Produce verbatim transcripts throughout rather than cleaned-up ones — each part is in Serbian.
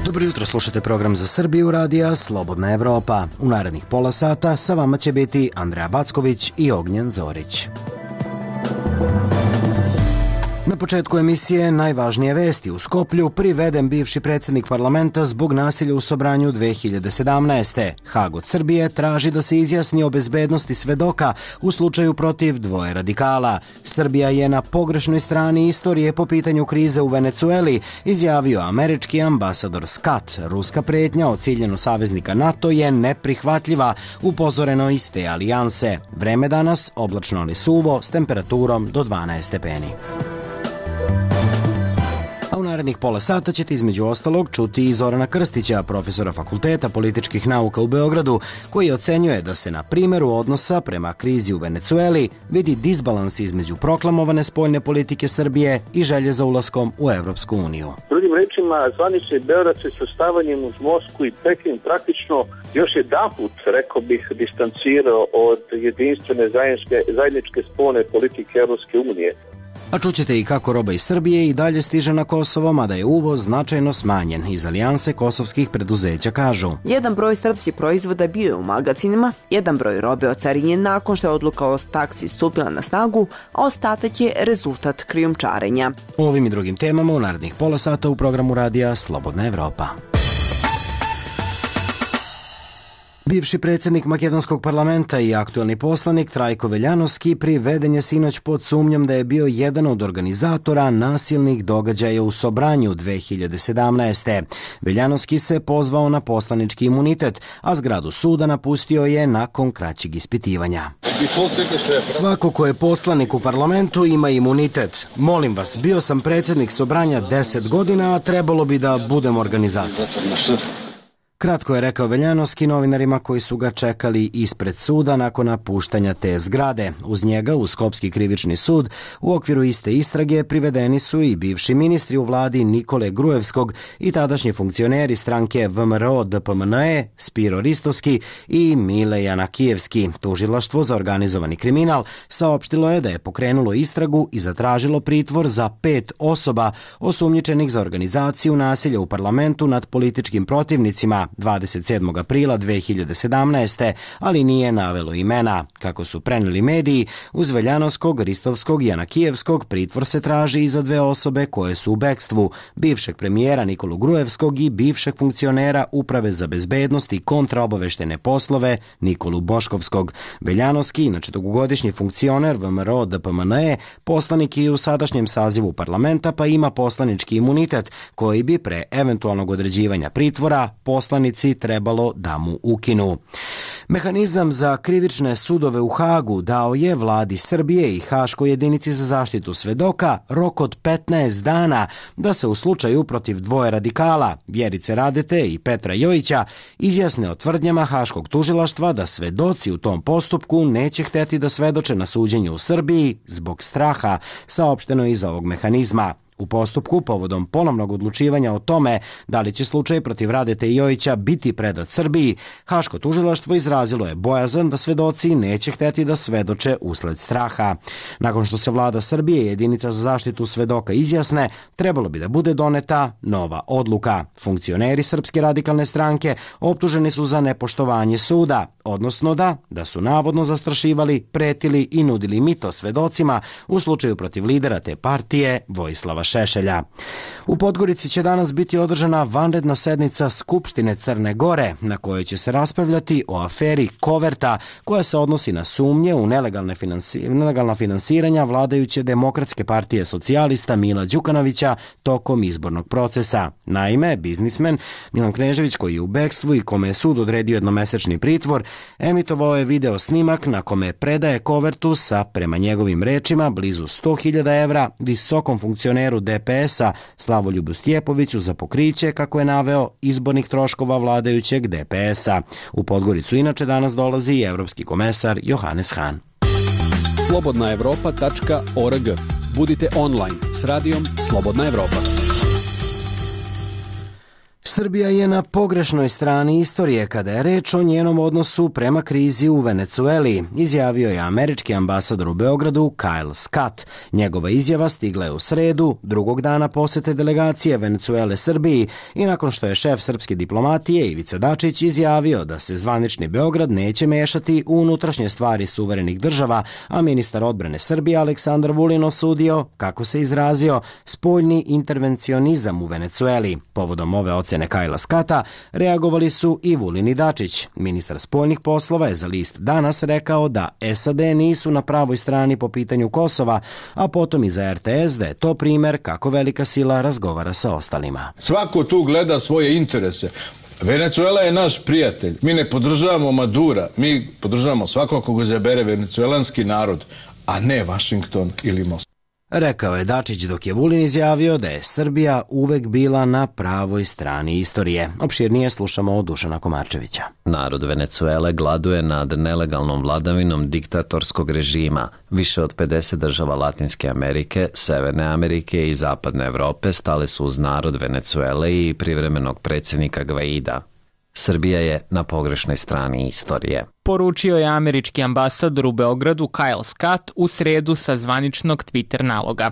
Dobro jutro, slušate program za Srbiju radija Slobodna Evropa. U narednih pola sata sa vama će biti Andreja Backović i Ognjen Zorić. Na početku emisije najvažnije vesti. U Skoplju priveden bivši predsjednik parlamenta zbog nasilja u Sobranju dve hiljade sedamnaeste. Hag od Srbije traži da se izjasni o bezbednosti svedoka u slučaju protiv dvoje radikala. Srbija je na pogrešnoj strani istorije po pitanju krize u Venecueli, izjavio američki ambasador Scott. Ruska pretnja o ciljenju saveznika NATO je neprihvatljiva, upozoreno iz te alijanse. Vreme danas oblačno ali suvo s temperaturom do dvanaest stepeni. A u narednih pola sata ćete između ostalog čuti i Zorana Krstića, profesora Fakulteta političkih nauka u Beogradu, koji ocenjuje da se na primjeru odnosa prema krizi u Venecueli vidi disbalans između proklamovane spoljne politike Srbije i želje za ulaskom u Evropsku uniju. Drugim rečima, zvanični Beograd se svrstavanjem uz Moskvu i Peking praktično još jedanput, rekao bih, distancirao od jedinstvene zajedničke, zajedničke spoljne politike Evropske unije. A čućete i kako roba iz Srbije i dalje stiže na Kosovo, mada je uvoz značajno smanjen. Iz alijanse kosovskih preduzeća kažu: jedan broj srpskih proizvoda bio je u magazinima, jedan broj robe ocarinjen nakon što je odluka o taksi stupila na snagu, a ostatak je rezultat krijumčarenja. O ovim i drugim temama u narednih pola sata u programu radija Slobodna Evropa. Bivši predsjednik makedonskog parlamenta i aktuelni poslanik Trajko Veljanovski priveden je sinoć pod sumnjom da je bio jedan od organizatora nasilnih događaja u Sobranju dve hiljade sedamnaeste. Veljanovski se pozvao na poslanički imunitet, a zgradu suda napustio je nakon kraćeg ispitivanja. Svako ko je poslanik u parlamentu ima imunitet. Molim vas, bio sam predsjednik Sobranja deset godina, a trebalo bi da budem organizator. Kratko je rekao Veljanovski novinarima koji su ga čekali ispred suda nakon napuštanja te zgrade. Uz njega u Skopski krivični sud u okviru iste istrage privedeni su i bivši ministri u vladi Nikole Grujevskog i tadašnji funkcioneri stranke V M R O D P M N E Spiro Ristovski i Mile Janakijevski. Tužilaštvo za organizovani kriminal saopštilo je da je pokrenulo istragu i zatražilo pritvor za pet osoba osumnjičenih za organizaciju nasilja u parlamentu nad političkim protivnicima dvadeset sedmog aprila dve hiljade sedamnaeste. ali nije navelo imena. Kako su preneli mediji, uz Veljanovskog, Ristovskog i Janakijevskog pritvor se traži i za dve osobe koje su u bekstvu, bivšeg premijera Nikolu Grujevskog i bivšeg funkcionera Uprave za bezbednost i kontraobaveštene poslove Nikolu Boškovskog. Veljanovski, inače dugogodišnji funkcioner V M R O D P M N E, poslanik i u sadašnjem sazivu parlamenta, pa ima poslanički imunitet koji bi pre eventualnog određivanja pritvora poslanici trebalo da mu ukinu. Mehanizam za krivične sudove u Hagu dao je vladi Srbije i Haškoj jedinici za zaštitu svedoka rok od petnaest dana da se u slučaju protiv dvoje radikala, Vjerice Radete i Petra Jojića, izjasne o tvrdnjama Haškog tužilaštva da svedoci u tom postupku neće hteti da svedoče na suđenju u Srbiji zbog straha, saopšteno iz ovog mehanizma. U postupku, povodom ponovnog odlučivanja o tome da li će slučaj protiv Radete i Jojića biti predat Srbiji, Haško tužilaštvo izrazilo je bojazan da svedoci neće hteti da svedoče usled straha. Nakon što se vlada Srbije i jedinica za zaštitu svedoka izjasne, trebalo bi da bude doneta nova odluka. Funkcioneri Srpske radikalne stranke optuženi su za nepoštovanje suda, odnosno da, da su navodno zastrašivali, pretili i nudili mito svedocima u slučaju protiv lidera te partije Vojislava Šešelja. U Podgorici će danas biti održana vanredna sednica Skupštine Crne Gore, na kojoj će se raspravljati o aferi Koverta, koja se odnosi na sumnje u nelegalne finansi... nelegalna finansiranja vladajuće Demokratske partije socijalista Mila Đukanovića tokom izbornog procesa. Naime, biznismen Milan Knežević, koji je u bekstvu i kome je sud odredio jednomesečni pritvor, emitovao je video snimak na kome predaje kovertu sa, prema njegovim rečima, blizu sto hiljada evra visokom funkcioneru D P S-a Slavoljubu Stjepoviću za pokriće, kako je naveo, izbornih troškova vladajućeg D P S-a. U Podgoricu inače danas dolazi i evropski komesar Johannes Hahn. slobodna evropa tačka org. Budite online s radijom Slobodna Evropa. Srbija je na pogrešnoj strani istorije kada je reč o njenom odnosu prema krizi u Venecueli, izjavio je američki ambasador u Beogradu Kyle Scott. Njegova izjava stigla je u sredu, drugog dana posete delegacije Venecuele Srbiji i nakon što je šef srpske diplomatije Ivica Dačić izjavio da se zvanični Beograd neće mešati u unutrašnje stvari suverenih država, a ministar odbrane Srbije Aleksandar Vulin osudio, kako se izrazio, spoljni intervencionizam u Venecueli. Povodom ove ocene Kajla Skata reagovali su i Vulin i Dačić. Ministar spoljnih poslova je za list Danas rekao da S A D nisu na pravoj strani po pitanju Kosova, a potom i za R T S da je to primer kako velika sila razgovara sa ostalima. Svako tu gleda svoje interese. Venecuela je naš prijatelj. Mi ne podržavamo Madura. Mi podržavamo svakog koga zabere venecuelanski narod, a ne Washington ili Moskva. Rekao je Dačić dok je Vulin izjavio da je Srbija uvek bila na pravoj strani istorije. Opširnije slušamo od Dušana Komarčevića. Narod Venecuele gladuje nad nelegalnom vladavinom diktatorskog režima. Više od pedeset država Latinske Amerike, Severne Amerike i Zapadne Evrope stale su uz narod Venecuele i privremenog predsjednika Gvaida. Srbija je na pogrešnoj strani istorije. Poručio je američki ambasador u Beogradu Kyle Scott u sredu sa zvaničnog Twitter naloga.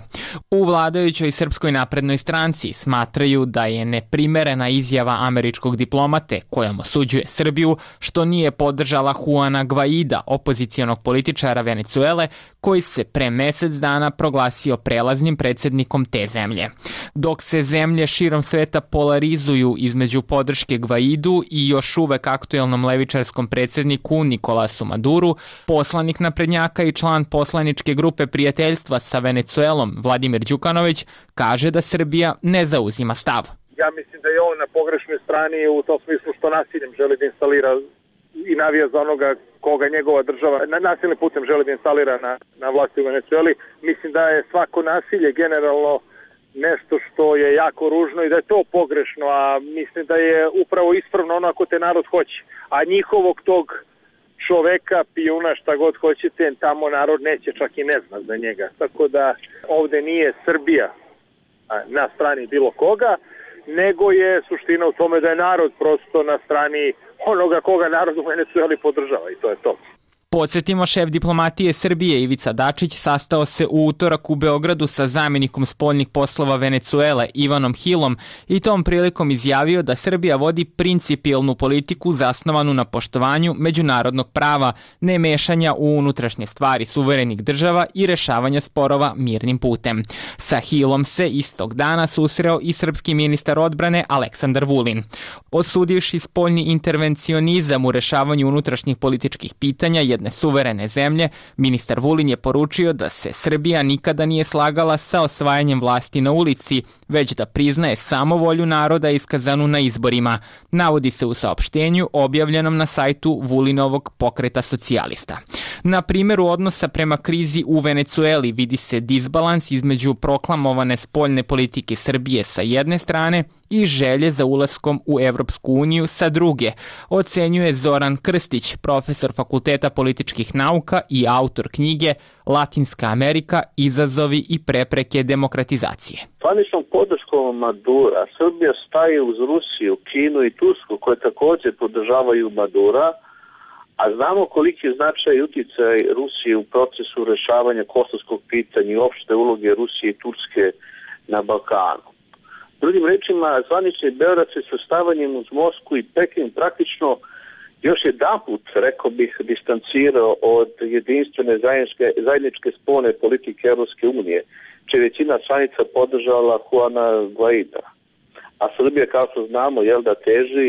U vladajućoj Srpskoj naprednoj stranci smatraju da je neprimerena izjava američkog diplomate kojom osuđuje Srbiju što nije podržala Juana Gvaida, opozicionog političara Venecuele, koji se pre mesec dana proglasio prelaznim predsjednikom te zemlje. Dok se zemlje širom sveta polarizuju između podrške Gvaidu i još uvek aktuelnom levičarskom predsjedniku Nikolasu Maduru, poslanik naprednjaka i član poslaničke grupe prijateljstva sa Venecuelom Vladimir Đukanović kaže da Srbija ne zauzima stav. Ja mislim da je on na pogrešnoj strani u tom smislu što nasiljem želi da instalira i navija za onoga koga njegova država na nasilnim putem želi da instalira na, na vlasti u Venecueli. Mislim da je svako nasilje generalno nešto što je jako ružno i da je to pogrešno, a mislim da je upravo ispravno ono ako te narod hoće. A njihovog tog čoveka, pijuna, šta god hoćete, tamo narod neće, čak i ne zna za njega. Tako da ovde nije Srbija na strani bilo koga, nego je suština u tome da je narod prosto na strani onoga koga narod u Venecueli podržava i to je to. Podsjetimo, šef diplomatije Srbije Ivica Dačić sastao se u utorak u Beogradu sa zamjenikom spoljnih poslova Venecuele Ivanom Hillom i tom prilikom izjavio da Srbija vodi principijelnu politiku zasnovanu na poštovanju međunarodnog prava, ne mešanja u unutrašnje stvari suverenih država i rešavanja sporova mirnim putem. Sa Hillom se istog dana susreo i srpski ministar odbrane Aleksandar Vulin. Osudivši spoljni intervencionizam u rešavanju unutrašnjih političkih pitanja jedne suverene zemlje, ministar Vulin je poručio da se Srbija nikada nije slagala sa osvajanjem vlasti na ulici, već da priznaje samo volju naroda iskazanu na izborima, navodi se u saopštenju objavljenom na sajtu Vulinovog pokreta socijalista. Na primjeru odnosa prema krizi u Venecueli vidi se disbalans između proklamovane spoljne politike Srbije sa jedne strane i želje za ulaskom u Evropsku uniju sa druge, ocenjuje Zoran Krstić, profesor Fakulteta političkih nauka i autor knjige Latinska Amerika, izazovi i prepreke demokratizacije. Zvaničnom podrškom Madura Srbija staje uz Rusiju, Kinu i Tursku koje također podržavaju Madura, a znamo koliki je značaj i uticaj Rusije u procesu rešavanja kosovskog pitanja i opšte uloge Rusije i Turske na Balkanu. Drugim rečima, zvanični Beograd se sastavanjem uz Moskvu i Peking praktično još jedanput, rekao bih, distancirao od jedinstvene zajedničke, zajedničke spoljne politike Evropske unije, čija većina članica podržala Juana Gvaida. A Srbija, kao što znamo, jel da teži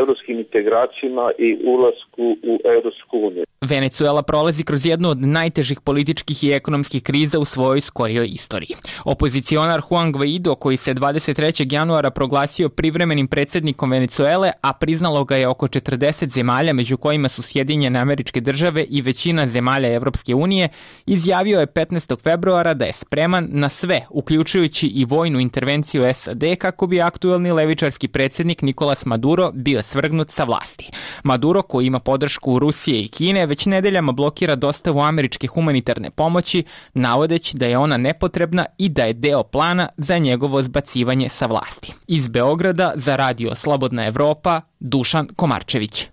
evropskim integracijama i ulasku u Evropsku uniju. Venecuela prolazi kroz jednu od najtežih političkih i ekonomskih kriza u svojoj skorijoj istoriji. Opozicionar Juan Guaido, koji se dvadeset trećeg januara proglasio privremenim predsjednikom Venecuele, a priznalo ga je oko četrdeset zemalja, među kojima su Sjedinjene Američke Države i većina zemalja Evropske unije, izjavio je petnaestog februara da je spreman na sve, uključujući i vojnu intervenciju S A D, kako bi aktuelni levičarski predsjednik Nikolas Maduro bio svrgnut sa vlasti. Maduro, koji ima podršku Rusije i Kine, već nedeljama blokira dostavu američke humanitarne pomoći, navodeći da je ona nepotrebna i da je deo plana za njegovo zbacivanje sa vlasti. Iz Beograda za radio Slobodna Evropa, Dušan Komarčević.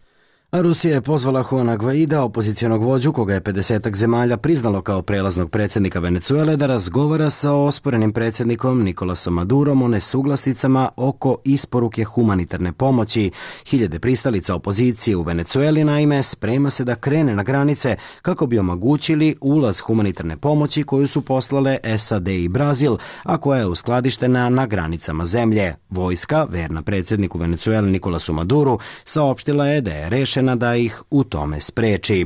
A Rusija je pozvala Juana Guaida, opozicionog vođu koga je pedesetak zemalja priznalo kao prelaznog predsjednika Venecuele, da razgovara sa osporenim predsjednikom Nikolasom Madurom o nesuglasicama oko isporuke humanitarne pomoći. Hiljade pristalica opozicije u Venecueli naime sprema se da krene na granice kako bi omogućili ulaz humanitarne pomoći koju su poslale S A D i Brazil, a koja je uskladištena na granicama zemlje. Vojska, verna predsjedniku Venecuele Nikolasu Maduru, saopštila je da je rešena da ih u tome spreči.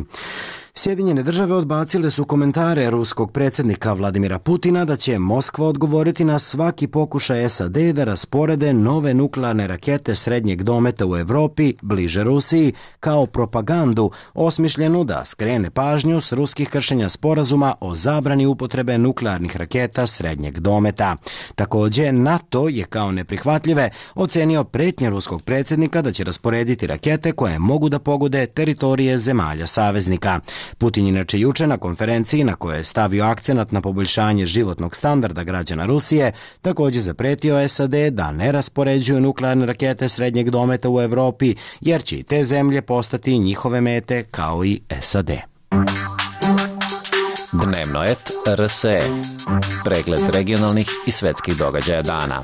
Sjedinjene države odbacile su komentare ruskog predsjednika Vladimira Putina da će Moskva odgovoriti na svaki pokušaj S A D da rasporede nove nuklearne rakete srednjeg dometa u Evropi, bliže Rusiji, kao propagandu osmišljenu da skrene pažnju s ruskih kršenja sporazuma o zabrani upotrebe nuklearnih raketa srednjeg dometa. Također, NATO je kao neprihvatljive ocenio pretnje ruskog predsjednika da će rasporediti rakete koje mogu da pogode teritorije zemalja saveznika. Putin inače juče na konferenciji na kojoj je stavio akcenat na poboljšanje životnog standarda građana Rusije također zapretio S A D da ne raspoređuju nuklearne rakete srednjeg dometa u Evropi, jer će i te zemlje postati njihove mete kao i S A D. Dnevno et R S E. Pregled regionalnih i svetskih događaja dana.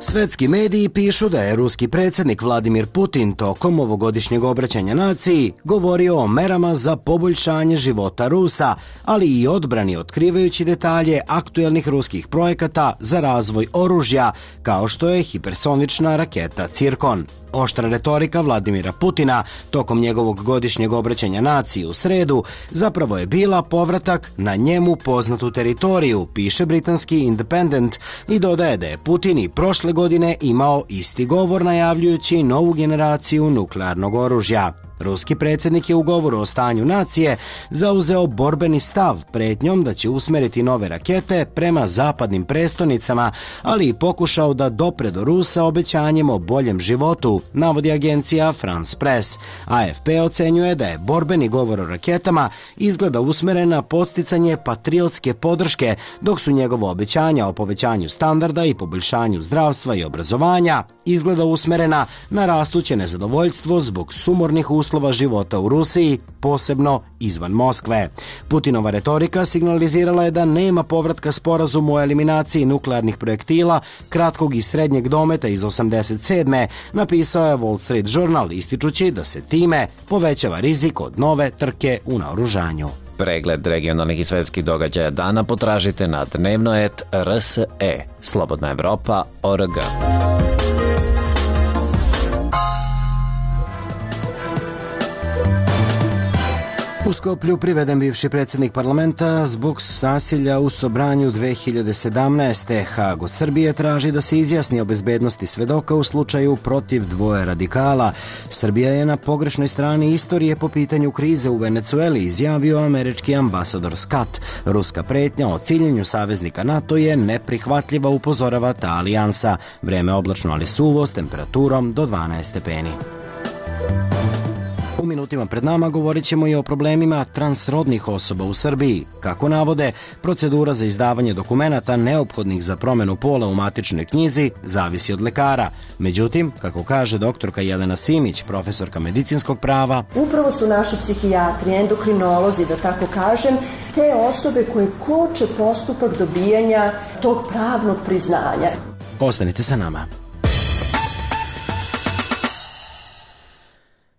Svetski mediji pišu da je ruski predsjednik Vladimir Putin tokom ovogodišnjeg obraćanja naciji govorio o merama za poboljšanje života Rusa, ali i odbrani, otkrivajući detalje aktuelnih ruskih projekata za razvoj oružja, kao što je hipersonična raketa Cirkon. Oštra retorika Vladimira Putina tokom njegovog godišnjeg obraćanja naciji u sredu zapravo je bila povratak na njemu poznatu teritoriju, piše britanski Independent, i dodaje da je Putin i prošle godine imao isti govor najavljujući novu generaciju nuklearnog oružja. Ruski predsjednik je u govoru o stanju nacije zauzeo borbeni stav pretnjom da će usmeriti nove rakete prema zapadnim prestonicama, ali i pokušao da dopre do Rusa obećanjem o boljem životu, navodi agencija France Press. A F P ocenjuje da je borbeni govor o raketama izgleda usmeren na podsticanje patriotske podrške, dok su njegova obećanja o povećanju standarda i poboljšanju zdravstva i obrazovanja izgleda usmerena na rastuće nezadovoljstvo zbog sumornih uslova života u Rusiji, posebno izvan Moskve. Putinova retorika signalizirala je da nema povratka sporazumu o eliminaciji nuklearnih projektila kratkog i srednjeg dometa iz osamdeset sedme, napisao je Wall Street Journal, ističući da se time povećava rizik od nove trke u naoružanju. Pregled regionalnih i svetskih događaja dana potražite na dnevno et R S E. Slobodna Evropa, O R G. U Skoplju priveden bivši predsjednik parlamenta zbog nasilja u Sobranju dve hiljade sedamnaeste. Haag od Srbije traži da se izjasni o bezbednosti svedoka u slučaju protiv dvoje radikala. Srbija je na pogrešnoj strani istorije po pitanju krize u Venecueli, izjavio američki ambasador Scott. Ruska pretnja o ciljenju saveznika NATO je neprihvatljiva, upozorava ta alijansa. Vreme oblačno, ali suvo, s temperaturom do dvanaest stepeni. U minutima pred nama govorit ćemo i o problemima transrodnih osoba u Srbiji. Kako navode, procedura za izdavanje dokumenata neophodnih za promjenu pola u matičnoj knjizi zavisi od lekara. Međutim, kako kaže doktorka Jelena Simić, profesorka medicinskog prava, upravo su naši psihijatri, endokrinolozi, da tako kažem, te osobe koje koče postupak dobijanja tog pravnog priznanja. Ostanite sa nama.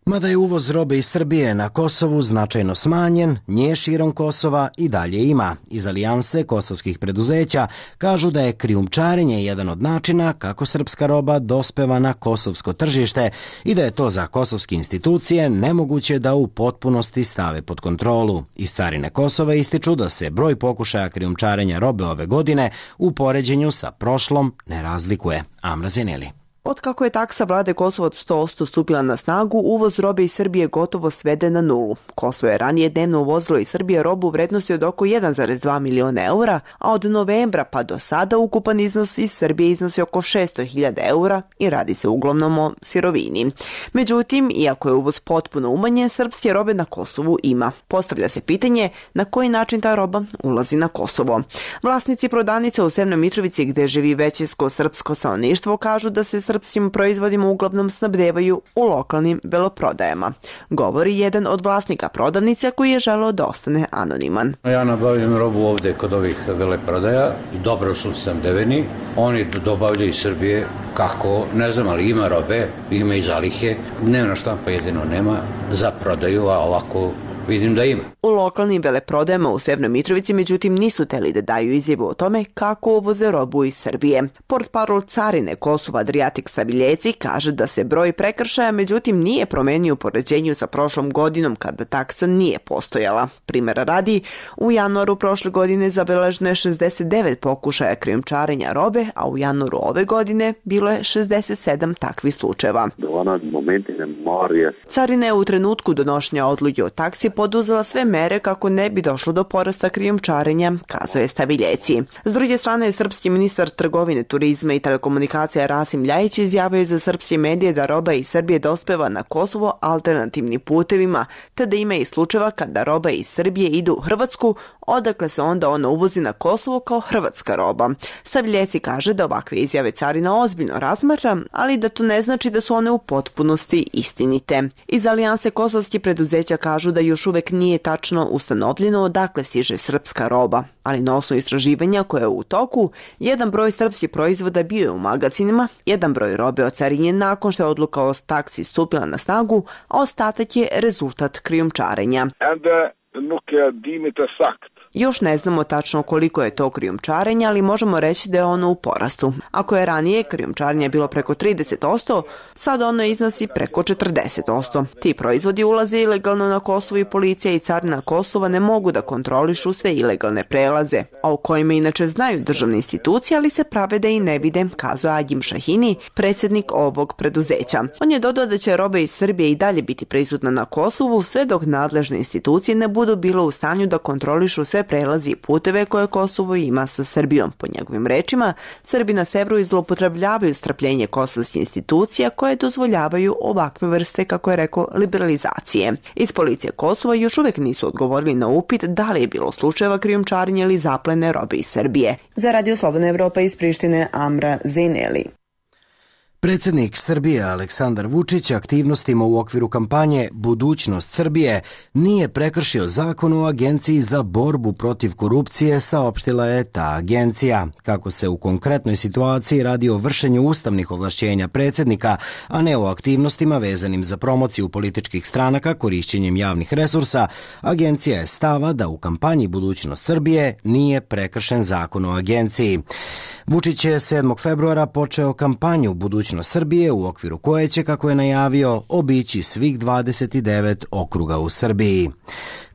Mada je uvoz robe iz Srbije na Kosovu značajno smanjen, nje širom Kosova i dalje ima. Iz alijanse kosovskih preduzeća kažu da je krijumčarenje jedan od načina kako srpska roba dospeva na kosovsko tržište i da je to za kosovske institucije nemoguće da u potpunosti stave pod kontrolu. Iz carine Kosova ističu da se broj pokušaja krijumčarenja robe ove godine u poređenju sa prošlom ne razlikuje. Amra Zeneli. Od kako je taksa vlade Kosova od sto posto stupila na snagu, uvoz robe iz Srbije gotovo svede na nulu. Kosovo je ranije dnevno uvozilo iz Srbije robu u vrednosti od oko jedan zarez dva miliona eura, a od novembra pa do sada ukupan iznos iz Srbije iznosi oko šesto hiljada eura i radi se uglavnom o sirovini. Međutim, iako je uvoz potpuno umanjen, srpske robe na Kosovu ima. Postavlja se pitanje na koji način ta roba ulazi na Kosovo. Vlasnici prodavnice u Severnoj Mitrovici, gde živi većinsko srpsko stanovništvo, kažu da se srpskim proizvodima uglavnom snabdevaju u lokalnim veloprodajama. Govori jedan od vlasnika prodavnice koji je želeo da ostane anoniman. Ja nabavljam robu ovde kod ovih veleprodaja, dobro su snabdeveni, oni dobavljaju iz Srbije, kako, ne znam, ali ima robe, ima i zalihe, dnevna štampa jedino nema za prodaju, a ovako vidim da ima. U lokalnim veleprodajama u Severnoj Mitrovici međutim nisu teli da daju izjavu o tome kako uvoze robu iz Srbije. Portparol carine Kosova Adriatic Stabiljeci kaže da se broj prekršaja međutim nije promenio u poređenju sa prošlom godinom kada taksa nije postojala. Primera radi, u januaru prošle godine zabeleženo je šezdeset devet pokušaja krijumčarenja robe, a u januaru ove godine bilo je šezdeset sedam takvih slučajeva. Carina je u trenutku donošenja odluke o taksi poduzela sve mere kako ne bi došlo do porasta krijumčarenja, kazuje Stabiljeci. S druge strane, srpski ministar trgovine, turizma i telekomunikacija Rasim Ljajić izjavio je za srpske medije da roba iz Srbije dospeva na Kosovo alternativnim putevima, te da ima i slučajeva kada roba iz Srbije ide u Hrvatsku, odakle se onda ona uvozi na Kosovo kao hrvatska roba. Stabiljeci kaže da ovakve izjave carina ozbiljno razmatra, ali da to ne znači da su one u potpunosti istinite. Iz Alijanse kosovskih preduzeća kažu da još uvek nije tačno ustanovljeno odakle stiže srpska roba, ali na osnovu istraživanja koje je u toku, jedan broj srpskih proizvoda bio je u magacinima, jedan broj robe ocarinjen nakon što je odluka o taksi stupila na snagu, a ostatak je rezultat krijumčarenja. Još ne znamo tačno koliko je to krijumčarenje, ali možemo reći da je ono u porastu. Ako je ranije krijumčarenje bilo preko trideset posto, sad ono iznosi preko četrdeset posto. Ti proizvodi ulaze ilegalno na Kosovo i policija i carina Kosova ne mogu da kontrolišu sve ilegalne prelaze, a u kojima inače znaju državne institucije, ali se prave da i ne vide, kazuje Agim Šahini, predsjednik ovog preduzeća. On je dodao da će roba iz Srbije i dalje biti prisutna na Kosovu sve dok nadležne institucije ne budu bilo u stanju da kontrolišu sve prelazi i puteve koje Kosovo ima sa Srbijom. Po njegovim rečima, Srbi na severu zloupotrebljavaju strpljenje kosovskih institucija koje dozvoljavaju ovakve vrste, kako je rekao, liberalizacije. Iz policije Kosova još uvek nisu odgovorili na upit da li je bilo slučajeva krijumčarenja ili zaplene robe iz Srbije. Za Radio Slobodna Evropa iz Prištine, Amra Zeneli. Predsjednik Srbije Aleksandar Vučić aktivnostima u okviru kampanje Budućnost Srbije nije prekršio zakon o Agenciji za borbu protiv korupcije, saopštila je ta agencija. Kako se u konkretnoj situaciji radi o vršenju ustavnih ovlašćenja predsjednika, a ne o aktivnostima vezanim za promociju političkih stranaka korišćenjem javnih resursa, agencija je stava da u kampanji Budućnost Srbije nije prekršen zakon o agenciji. Vučić je sedmog februara počeo kampanju Budućnost Srbije u okviru koje će, kako je najavio, obići svih dvadeset devet okruga u Srbiji.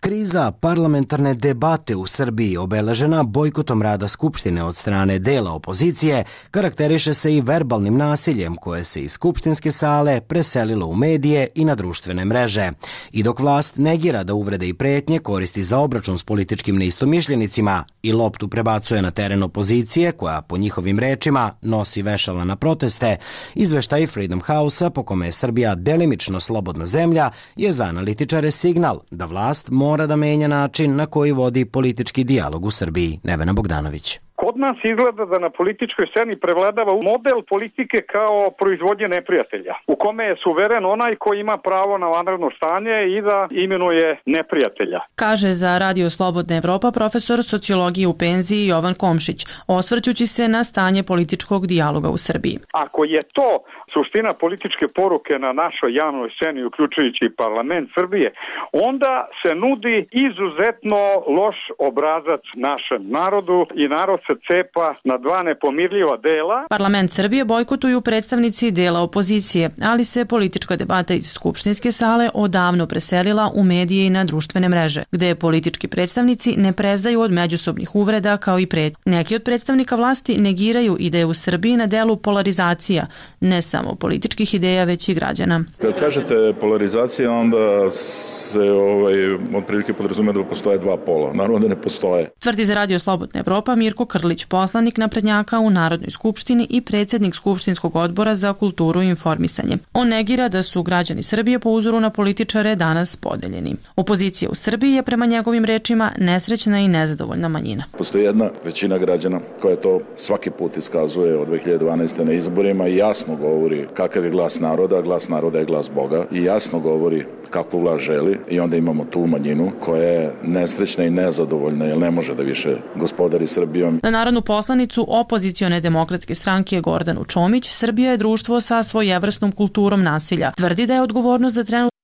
Kriza parlamentarne debate u Srbiji, obeležena bojkotom rada Skupštine od strane dela opozicije, karakteriše se i verbalnim nasiljem koje se iz skupštinske sale preselilo u medije i na društvene mreže. I dok vlast negira da uvrede i pretnje koristi za obračun s političkim neistomišljenicima i loptu prebacuje na teren opozicije, koja po njihovim rečima nosi vešala na proteste, izveštaj Freedom House-a, po kome je Srbija delimično slobodna zemlja, je za analitičare signal da vlast mora mora da menja način na koji vodi politički dijalog u Srbiji. Nevena Bogdanović. Kod nas izgleda da na političkoj sceni prevladava model politike kao proizvodnje neprijatelja, u kome je suveren onaj koji ima pravo na vanredno stanje i da imenuje neprijatelja. Kaže za Radio Slobodna Evropa profesor sociologije u penziji Jovan Komšić, osvrćući se na stanje političkog dijaloga u Srbiji. Ako je to suština političke poruke na našoj javnoj sceni, uključujući parlament Srbije, onda se nudi izuzetno loš obrazac našem narodu i narod se cepa na dva nepomirljiva dela. Parlament Srbije bojkotuju predstavnici dela opozicije, ali se politička debata iz skupštinske sale odavno preselila u medije i na društvene mreže, gde politički predstavnici ne prezaju od međusobnih uvreda kao i pred. Neki od predstavnika vlasti negiraju i da je u Srbiji na delu polarizacija, ne samo političkih ideja, već i građana. Kad kažete polarizacija, onda se ovaj, otprilike podrazume da postoje dva pola. Naravno da ne postoje. Tvrdi za Radio Slobodna Evropa Mirko Krlić, poslanik naprednjaka u Narodnoj skupštini i predsjednik Skupštinskog odbora za kulturu i informisanje. On negira da su građani Srbije po uzoru na političare danas podeljeni. Opozicija u Srbiji je prema njegovim rečima nesrećna i nezadovoljna manjina. Postoji jedna većina građana koja to svaki put iskazuje od dve hiljade dvanaeste. na izborima i jasno govori kakav je glas naroda, glas naroda je glas Boga i jasno govori kakvu vlast želi i onda imamo tu manjinu koja je nesrećna i nezadovoljna jer ne može da više gospodari Srbijom. Na narodnu poslanicu opozicione demokratske stranke Gordanu Čomić, Srbija je društvo sa svojevrsnom kulturom nasilja. Tvrdi da je odgovornost za trenutne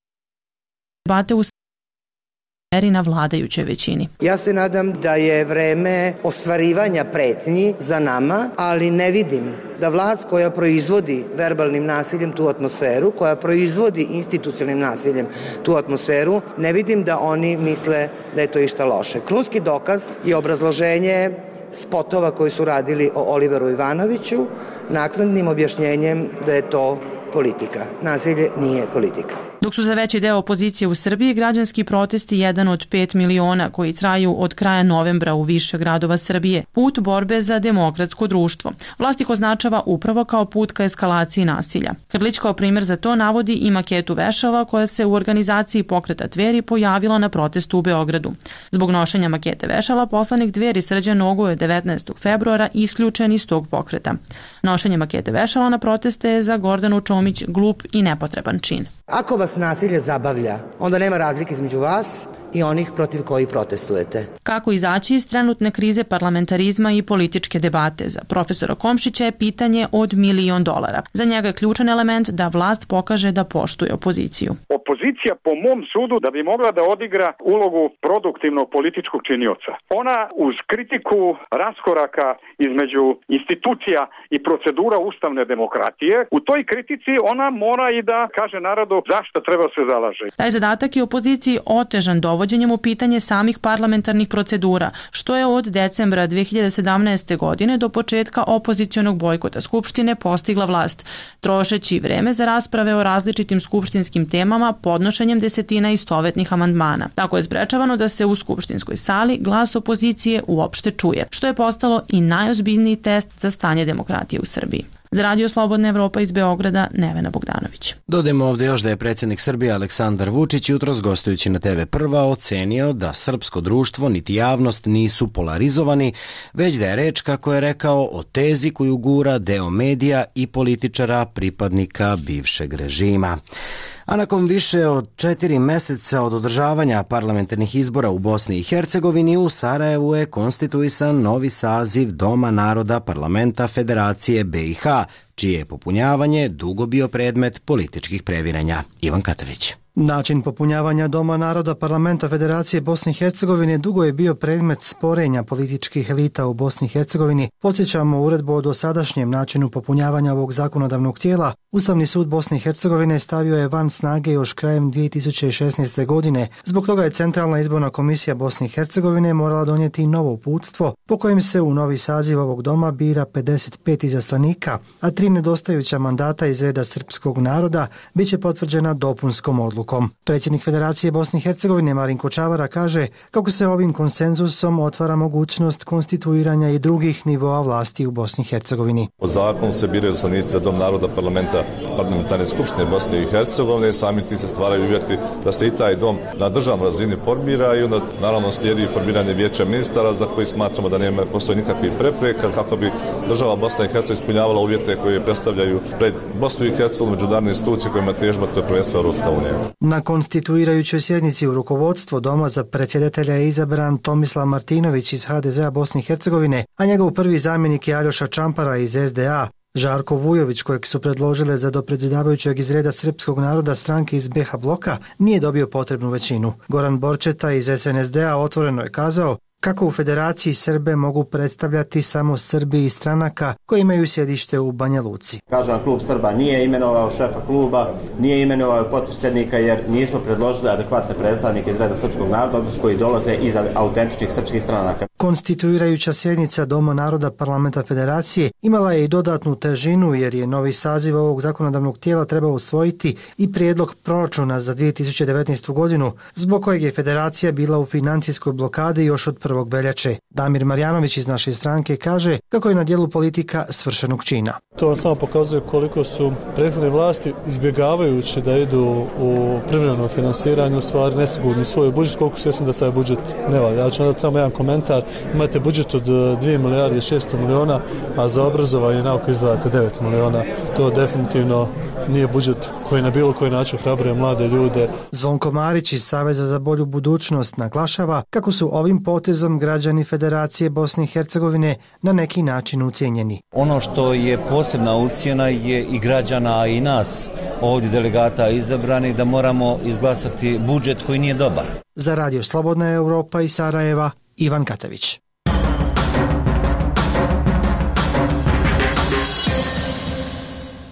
debate u meri na vladajućoj većini. Ja se nadam da je vreme ostvarivanja pretnji za nama, ali ne vidim da vlast koja proizvodi verbalnim nasiljem tu atmosferu, koja proizvodi institucionalnim nasiljem tu atmosferu, ne vidim da oni misle da je to išta loše. Krunski dokaz je obrazloženje spotova koji su radili o Oliveru Ivanoviću, naknadnim objašnjenjem da je to politika. Nasilje nije politika. Dok su za veći deo opozicije u Srbiji građanski protesti jedan od pet miliona koji traju od kraja novembra u više gradova Srbije, put borbe za demokratsko društvo. Vlast ih označava upravo kao put ka eskalaciji nasilja. Krlić kao primjer za to navodi i maketu vešala koja se u organizaciji pokreta Dveri pojavila na protestu u Beogradu. Zbog nošenja makete vešala, poslanik Dveri Srđan Nogo je devetnaestog februara isključen iz tog pokreta. Nošenje makete vešala na proteste je za Gordanu Čomić glup i nepotreban čin. Ako vas nasilje zabavlja, onda nema razlike između vas i onih protiv koji protestujete. Kako izaći iz trenutne krize parlamentarizma i političke debate? Za profesora Komšića je pitanje od milion dolara. Za njega je ključan element da vlast pokaže da poštuje opoziciju. Opozicija po mom sudu da bi mogla da odigra ulogu produktivnog političkog činioca. Ona uz kritiku raskoraka između institucija i procedura ustavne demokratije, u toj kritici ona mora i da kaže narodu zašto treba se zalaže. Taj zadatak je opoziciji otežan dovođenjem u pitanje samih parlamentarnih procedura, što je od decembra dve hiljade sedamnaeste. godine do početka opozicionog bojkota Skupštine postigla vlast, trošeći vreme za rasprave o različitim skupštinskim temama podnošenjem desetina istovetnih amandmana. Tako je sprečavano da se u skupštinskoj sali glas opozicije uopšte čuje, što je postalo i najozbiljniji test za stanje demokratije u Srbiji. Za Radio Slobodna Evropa iz Beograda, Nevena Bogdanović. Dodajmo ovdje još da je predsjednik Srbije Aleksandar Vučić jutros gostujući na te ve Prva ocenio da srpsko društvo niti javnost nisu polarizovani, već da je reč, kako je rekao, o tezi koju gura deo medija i političara pripadnika bivšeg režima. A nakon više od četiri meseca od održavanja parlamentarnih izbora u Bosni i Hercegovini, u Sarajevu je konstituisan novi saziv Doma naroda Parlamenta Federacije be i ha, čije je popunjavanje dugo bio predmet političkih previranja. Ivan Katavić. Način popunjavanja Doma naroda Parlamenta Federacije Bosne i Hercegovine dugo je bio predmet sporenja političkih elita u Bosni i Hercegovini. Podsjećamo uredbu o dosadašnjem načinu popunjavanja ovog zakonodavnog tijela. Ustavni sud Bosne i Hercegovine stavio je van snage još krajem dvije tisuće šesnaeste. godine. Zbog toga je Centralna izborna komisija Bosne i Hercegovine morala donijeti novo uputstvo po kojem se u novi saziv ovog doma bira pedeset pet izaslanika, a tri nedostajuća mandata iz reda srpskog naroda biće potvrđena dopunskom odlukom. Predsjednik Federacije Bosne i Hercegovine Marinko Čavara kaže kako se ovim konsenzusom otvara mogućnost konstituiranja i drugih nivoa vlasti u Bosni i Hercegovini. Po zakonu se biraju izaslanici za Dom naroda Parlamenta Parlamentarne skupštine Bosne i Hercegovine, sami ti se stvaraju uvjeti da se i taj dom na državnoj razini formira i onda naravno slijedi formiranje vijeća ministara za koji smatramo da nema postoji nikakvih prepreka kako bi država Bosna i Hercegovina ispunjavala uvjete koje predstavljaju pred Bosnu i Hercegovinu međunarodne institucije kojima težba, to je prvenstveno Europska unija. Na konstituirajućoj sjednici u rukovodstvo Doma za predsjedatelja je izabran Tomislav Martinović iz ha de zea Bosne i Hercegovine, a njegov prvi zamjenik je Aljoša Čampara iz es de a. Žarko Vujović, kojeg su predložile za dopredsjedavajućeg iz reda srpskog naroda stranke iz be ha bloka, nije dobio potrebnu većinu. Goran Borčeta iz es en es de a otvoreno je kazao Kako u Federaciji Srbe mogu predstavljati samo Srbi iz stranaka koji imaju sjedište u Banja Luci. Kažem, klub Srba nije imenovao šefa kluba, nije imenovao potpredsjednika jer nismo predložili adekvatne predstavnike iz reda srpskog naroda, odnosno koji dolaze iz autentičnih srpskih stranaka. Konstituirajuća sjednica Doma naroda Parlamenta Federacije imala je i dodatnu težinu jer je novi saziv ovog zakonodavnog tijela trebao usvojiti i prijedlog proračuna za dvije tisuće devetnaestu godinu, zbog kojeg je Federacija bila u financijskoj blokadi još od prvog veljače. Damir Marjanović iz naše stranke kaže kako je na dijelu politika svršenog čina. To vam samo pokazuje koliko su prethodne vlasti izbjegavajući da idu u privremeno finansiranje u stvari nesigurni svoj budžet, koliko svjesni da taj budžet ne valja. Ja ću nadati samo jedan komentar. Imate budžet od dvije milijarde šesto miliona, a za obrazovanje i nauku izdvajate devet miliona. To definitivno nije budžet koji na bilo koji način hrabruje mlade ljude. Zvonko Marić iz Saveza za bolju budućnost naglašava kako su ovim potezom građani Federacije Bosne i Hercegovine na neki način ucijenjeni. Ono što je posebna ucjena je i građana i nas ovdje delegata izabrani da moramo izglasati budžet koji nije dobar. Za Radio Slobodna Europa iz Sarajeva, Ivan Katević.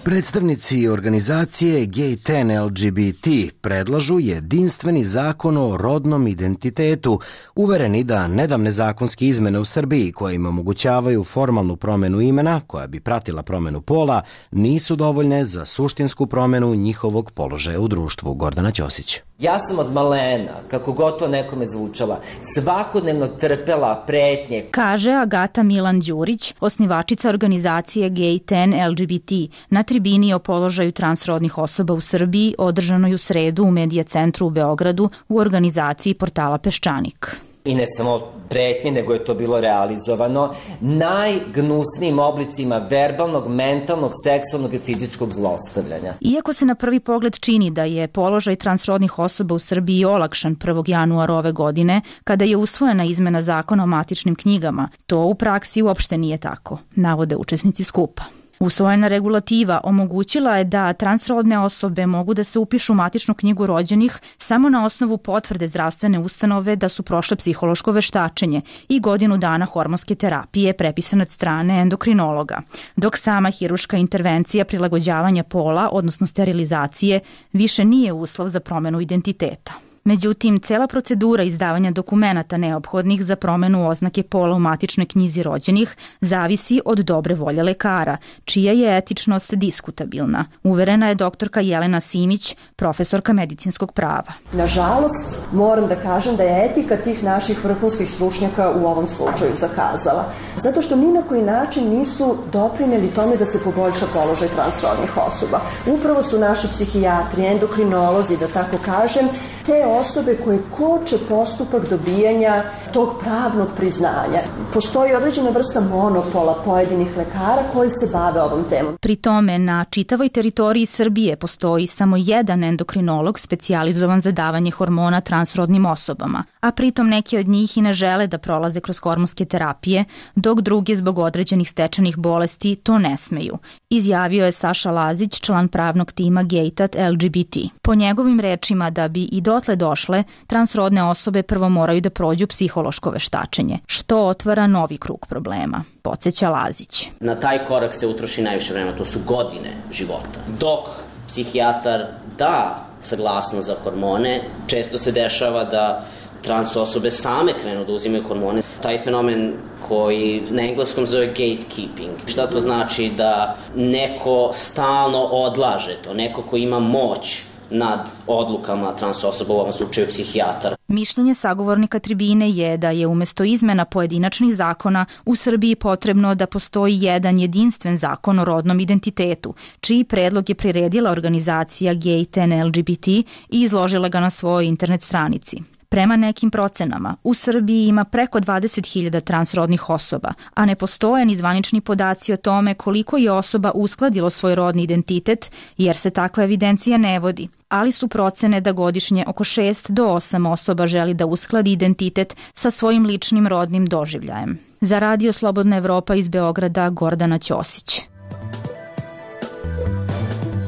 Predstavnici organizacije Gay ten L G B T predlažu jedinstveni zakon o rodnom identitetu, uvereni da nedavne zakonske izmene u Srbiji koje im omogućavaju formalnu promenu imena, koja bi pratila promenu pola, nisu dovoljne za suštinsku promenu njihovog položaja u društvu. Gordana Ćosić. Ja sam od malena, kako god to nekome zvučala, svakodnevno trpela pretnje. Kaže Agata Milan Đurić, osnivačica organizacije Gay ten L G B T, na tribini o položaju transrodnih osoba u Srbiji, održanoj u sredu u Medija centru u Beogradu u organizaciji portala Peščanik. I ne samo pretnje, nego je to bilo realizovano najgnusnijim oblicima verbalnog, mentalnog, seksualnog i fizičkog zlostavljanja. Iako se na prvi pogled čini da je položaj transrodnih osoba u Srbiji olakšan prvog januara ove godine, kada je usvojena izmena zakona o matičnim knjigama, to u praksi uopšte nije tako, navode učesnici skupa. Usvojena regulativa omogućila je da transrodne osobe mogu da se upišu u matičnu knjigu rođenih samo na osnovu potvrde zdravstvene ustanove da su prošle psihološko veštačenje i godinu dana hormonske terapije prepisane od strane endokrinologa, dok sama hiruška intervencija prilagođavanja pola, odnosno sterilizacije, više nije uslov za promenu identiteta. Međutim, cela procedura izdavanja dokumenata neophodnih za promenu oznake pola u matičnoj knjizi rođenih zavisi od dobre volje lekara, čija je etičnost diskutabilna, uverena je doktorka Jelena Simić, profesorka medicinskog prava. Nažalost, moram da kažem da je etika tih naših vrhunskih stručnjaka u ovom slučaju zakazala, zato što ni na koji način nisu doprineli tome da se poboljša položaj transrodnih osoba. Upravo su naši psihijatri, endokrinolozi, da tako kažem, te osobe koje koče postupak dobijanja tog pravnog priznanja. Postoji određena vrsta monopola pojedinih lekara koji se bave ovom temom. Pri tome, na čitavoj teritoriji Srbije postoji samo jedan endokrinolog specijalizovan za davanje hormona transrodnim osobama, a pritom neki od njih i ne žele da prolaze kroz hormonske terapije, dok drugi zbog određenih stečenih bolesti to ne smeju, izjavio je Saša Lazić, član pravnog tima Gaytat L G B T. Po njegovim rečima, da bi i dotle došle, transrodne osobe prvo moraju da prođu psihološko veštačenje, što otvara novi krug problema, podsjeća Lazić. Na taj korak se utroši najviše vremena, to su godine života. Dok psihijatar da saglasnost za hormone, često se dešava da trans osobe same krenu da uzimaju hormone. Taj fenomen koji na engleskom zove gatekeeping. Šta to znači? Da neko stalno odlaže to, neko ko ima moć nad odlukama trans osoba, u ovom slučaju psihijatar. Mišljenje sagovornika tribine je da je umesto izmena pojedinačnih zakona u Srbiji potrebno da postoji jedan jedinstven zakon o rodnom identitetu, čiji predlog je priredila organizacija Gay ten L G B T i izložila ga na svojoj internet stranici. Prema nekim procenama, u Srbiji ima preko dvadeset hiljada transrodnih osoba, a ne postoje ni zvanični podaci o tome koliko je osoba uskladilo svoj rodni identitet, jer se takva evidencija ne vodi, ali su procene da godišnje oko šest do osam osoba želi da uskladi identitet sa svojim ličnim rodnim doživljajem. Za Radio Slobodna Evropa iz Beograda, Gordana Ćosić.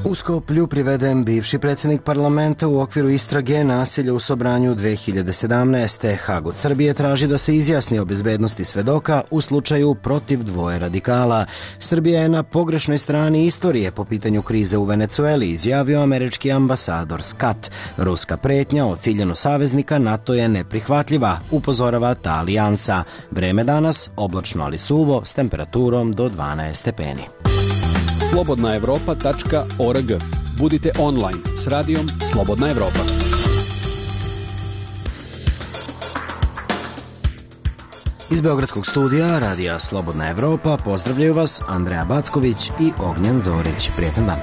U Skoplju priveden bivši predsjednik parlamenta u okviru istrage nasilja u Sobranju dve hiljade sedamnaeste. Hag od Srbije traži da se izjasni o bezbednosti svedoka u slučaju protiv dvoje radikala. Srbija je na pogrešnoj strani istorije po pitanju krize u Venecueli, izjavio američki ambasador Scott. Ruska pretnja o ciljenu saveznika NATO je neprihvatljiva, upozorava ta alijansa. Vreme danas oblačno ali suvo s temperaturom do dvanaest stepeni. slobodna evropa tačka org. Budite online s radijom Slobodna Evropa. Iz Beogradskog studija radija Slobodna Evropa pozdravljaju vas Andreja Backović i Ognjen Zorić. Prijetan dan.